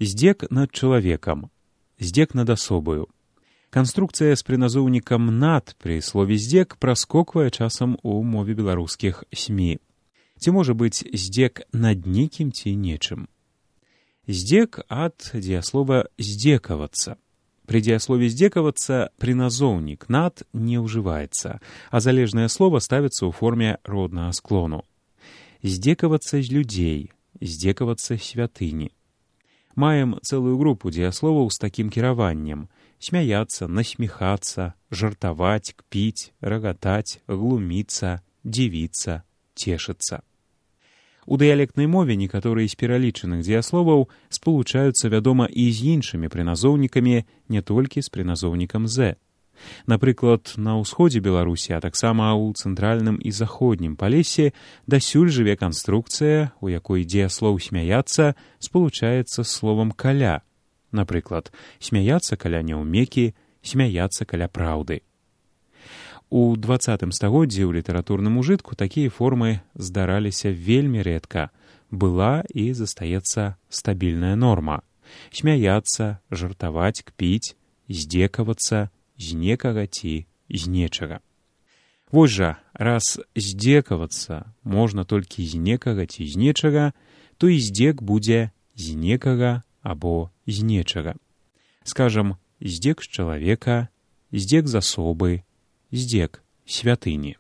Здзек над чалавекам, здзек над асобаю. Канструкцыя з прыназоўнікам «над» пры слове «здзек» праскоквае часам у мове беларускіх СМІ. Ці можа быць здзек над нейкім ці нечым? Здзек ад дзеяслова «здзекавацца». Пры дзеяслове «здзекавацца» прыназоўнік «над» не ўжываецца, а залежнае слова ставіцца ў форме роднага склону. Здзекавацца з людзей, здзекавацца святыні. Маем цэлую групу дзеясловаў з такім кіраваннем: смяяцца, насміхацца, жартаваць, кпіць, рагатаць, глуміцца, дзівіцца, цешыцца. У дыялектнай мове некаторыя з пералічаных дзеясловаў спалучаюцца, вядома, і з іншымі прыназоўнікамі, не толькі з прыназоўнікам «з». Напрыклад, на ўсходзе Беларусі, а таксама ў цэнтральным і заходнім Палесе дасюль жыве канструкцыя, у якой дзеяслоў «смяяцца» спалучаецца з словам «каля». Напрыклад, смяяцца каля няўмекі, смяяцца каля праўды. У 20 стагоддзі ў літаратурным ужытку такія формы здараліся вельмі рэдка. Была і застаецца стабільная норма: смяяцца, жартаваць, кпіць, здзекавацца з некага ці з нечага. Вось жа, раз здзекавацца можна толькі з некага ці з нечага, то і здзек будзе з некага або з нечага. Скажам, здзек з чалавека, здзек з асобы, здзек святыні.